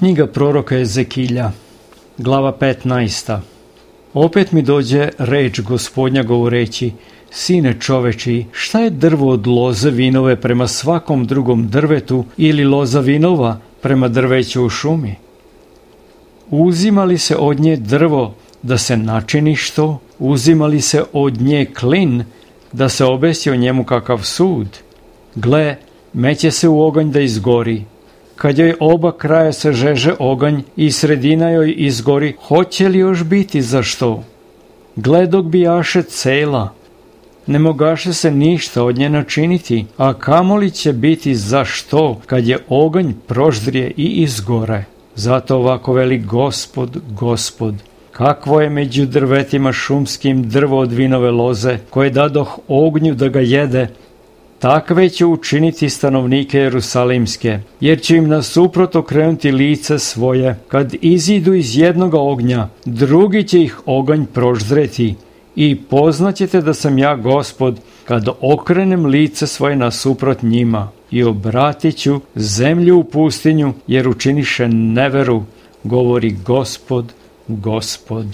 Knjiga proroka Ezekilja, glava 15. Opet mi dođe reč Gospodnja govoreći: Sine čoveči, šta je drvo od loze vinove prema svakom drugom drvetu ili loza vinova prema drveću u šumi? Uzima li se od nje drvo da se načini što? Uzima li se od nje klin da se obesi o njemu kakav sud? Gle, meće se u oganj da izgori. Kad joj oba kraja se žeže oganj i sredina joj izgori, hoće li još biti za što? Gle, dok bijaše cela, ne mogaše se ništa od nje načiniti, a kamoli će biti za što kad je oganj proždrije i izgore. Zato ovako veli Gospod, Gospod: kakvo je među drvetima šumskim drvo od vinove loze, koje dadoh ognju da ga jede, takve će učiniti stanovnike Jerusalimske, jer će im nasuprot okrenuti lice svoje. Kad izidu iz jednoga ognja, drugi će ih oganj proždreti, i poznaćete da sam ja Gospod, kad okrenem lice svoje nasuprot njima, i obratit ću zemlju u pustinju, jer učiniše neveru, govori Gospod, Gospod.